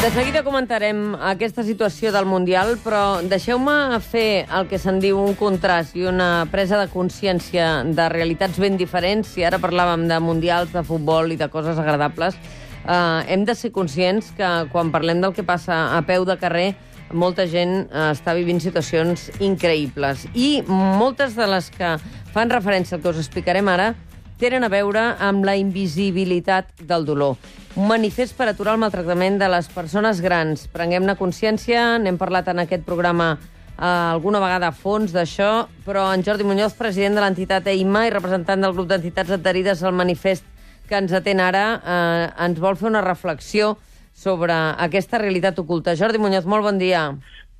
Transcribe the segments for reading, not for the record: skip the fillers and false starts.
De seguida comentarem aquesta situació del Mundial, però deixeu-me fer el que se'n diu un contrast i una presa de consciència de realitats ben diferents. Si ara parlàvem de mundials, de futbol i de coses agradables, hem de ser conscients que quan parlem del que passa a peu de carrer, molta gent està vivint situacions increïbles. I moltes de les que fan referència al que us explicarem ara tenen a veure amb la invisibilitat del dolor. Un manifest per aturar el maltractament de les persones grans. Prenguem-ne consciència, n'hem parlat en aquest programa alguna vegada a fons d'això, però en Jordi Muñoz, president de l'entitat EIMA i representant del grup d'entitats adherides al manifest que ens atén ara, ens vol fer una reflexió sobre aquesta realitat oculta. Jordi Muñoz, molt bon dia.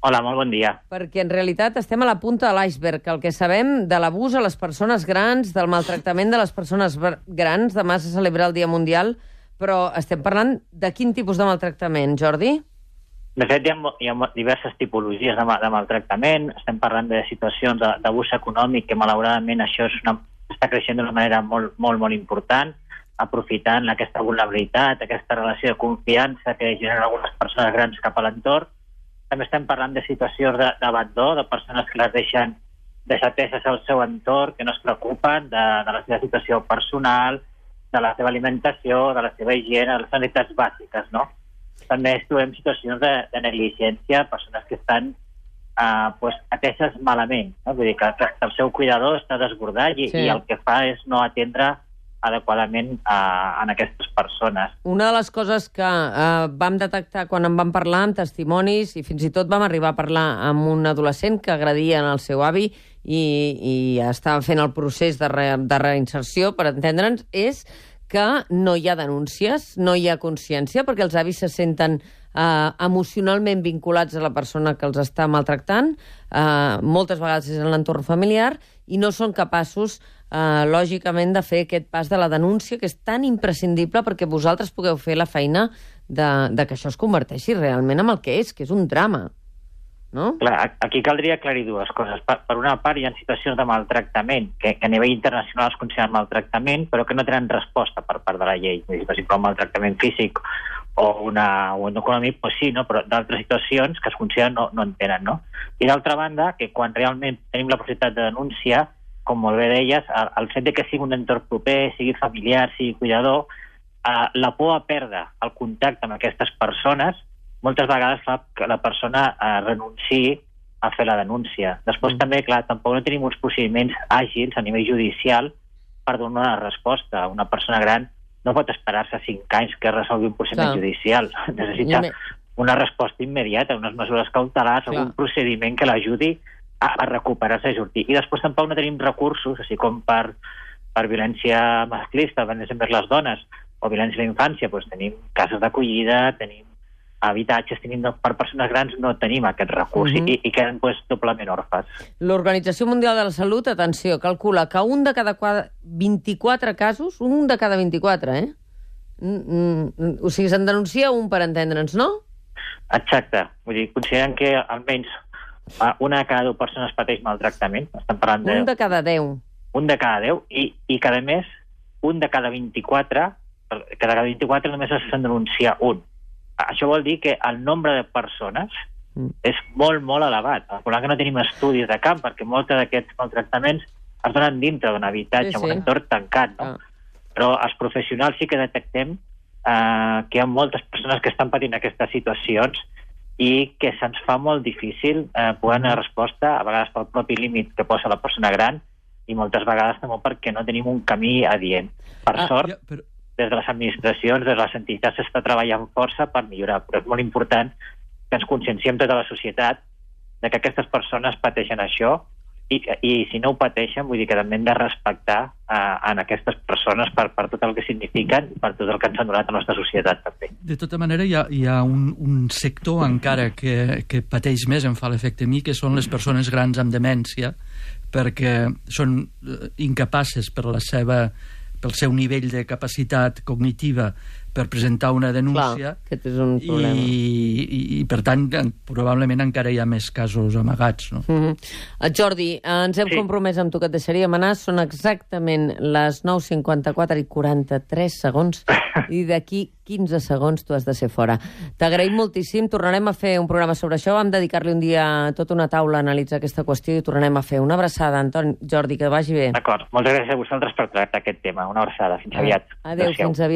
Hola, molt bon dia. Perquè en realitat estem a la punta de l'iceberg. El que sabem de l'abús a les persones grans, del maltractament de les persones grans, demà se celebra el Dia Mundial, però estem parlant de quin tipus de maltractament, Jordi? De fet, hi ha diverses tipologies de maltractament. Estem parlant de situacions d'abús econòmic, que malauradament això està creixent d'una manera molt, molt, molt important, aprofitant aquesta vulnerabilitat, aquesta relació de confiança que generen algunes persones grans cap a l'entorn. També estem parlant de situacions d'abandó, de persones que les deixen desateses al seu entorn, que no es preocupen de la seva situació personal, de la seva alimentació, de la seva higiene, de les necessitats bàsiques, no? També trobem situacions de negligència, persones que estan ateses malament, no? Vull dir que el seu cuidador està desbordat i el que fa és no atendre adequadament en aquestes persones. Una de les coses que vam detectar quan en vam parlar amb testimonis, i fins i tot vam arribar a parlar amb un adolescent que agredien el seu avi i estava fent el procés de reinserció, per entendre'ns, és que no hi ha denúncies, no hi ha consciència, perquè els avis se senten emocionalment vinculats a la persona que els està maltractant, moltes vegades és en l'entorn familiar, i no són capaços, lògicament, de fer aquest pas de la denúncia, que és tan imprescindible perquè vosaltres pugueu fer la feina de que això es converteixi realment en el que és un drama. No? Clar, aquí caldria aclarir dues coses. Per una part, hi ha situacions de maltractament que a nivell internacional es consideren maltractament, però que no tenen resposta per part de la llei. Per exemple, un maltractament físic o un econòmic, doncs sí, no? Però d'altres situacions que es consideren no en tenen. No? I d'altra banda, que quan realment tenim la possibilitat de denúncia, com molt bé deies, el fet de que sigui un entorn proper, sigui familiar, sigui cuidador, la por a perdre el contacte amb aquestes persones moltes vegades fa que la persona renunciï a fer la denúncia. Després també, clar, tampoc no tenim uns procediments àgils a nivell judicial per donar una resposta. Una persona gran no pot esperar-se 5 anys que resolgui un procediment judicial. Necessita una resposta immediata, unes mesures cautelars, algun procediment que l'ajudi a recuperar-se i sortir. I després tampoc no tenim recursos, així com per violència masclista, violència envers les dones, o violència a la infància, doncs tenim cases d'acollida, tenim habitatges, per persones grans no tenim aquest recurs i queden doblement orfes. L'Organització Mundial de la Salut, atenció, calcula que un de cada 24 casos, un de cada 24, o sigui, se'n denuncia un, per entendre'ns, no? Exacte. Vull dir, consideren que almenys una de cada 10 persones pateix maltractament. Estem parlant de... Un de cada 10. Un de cada 10 i cada mes, un de cada 24, només se'n denuncia un. Això vol dir que el nombre de persones és molt, molt elevat. El problema que no tenim estudis de camp, perquè molts d'aquests maltractaments es donen dintre d'un habitatge, un entorn tancat, no? Però els professionals sí que detectem que hi ha moltes persones que estan patint aquestes situacions i que se'ns fa molt difícil poder donar resposta, a vegades pel propi límit que posa la persona gran i moltes vegades també perquè no tenim un camí adient. Per sort, des de les administracions, des de les entitats, s'està treballant força per millorar, però és molt important que ens conscienciem tota la societat de que aquestes persones pateixen això i si no ho pateixen, vull dir que també hem de respectar en aquestes persones per tot el que signifiquen, per tot el que ens han donat a la nostra societat també. De tota manera, hi ha un sector encara que pateix més, em fa l'efecte a mi, que són les persones grans amb demència, perquè són incapaces pel seu nivell de capacitat cognitiva per presentar una denúncia. Clar, aquest és un problema. I per tant, probablement encara hi ha més casos amagats, no? Jordi, ens hem compromès amb tu que et deixaríem anar. Són exactament les 9:54 i 43 segons i d'aquí 15 segons tu has de ser fora. T'agraïm moltíssim, tornarem a fer un programa sobre això, vam dedicar-li un dia tota una taula a analitzar aquesta qüestió i tornarem a fer una abraçada. Jordi, que vagi bé. D'acord, moltes gràcies a vosaltres per tractar aquest tema. Una abraçada, fins aviat. Adéu, fins aviat.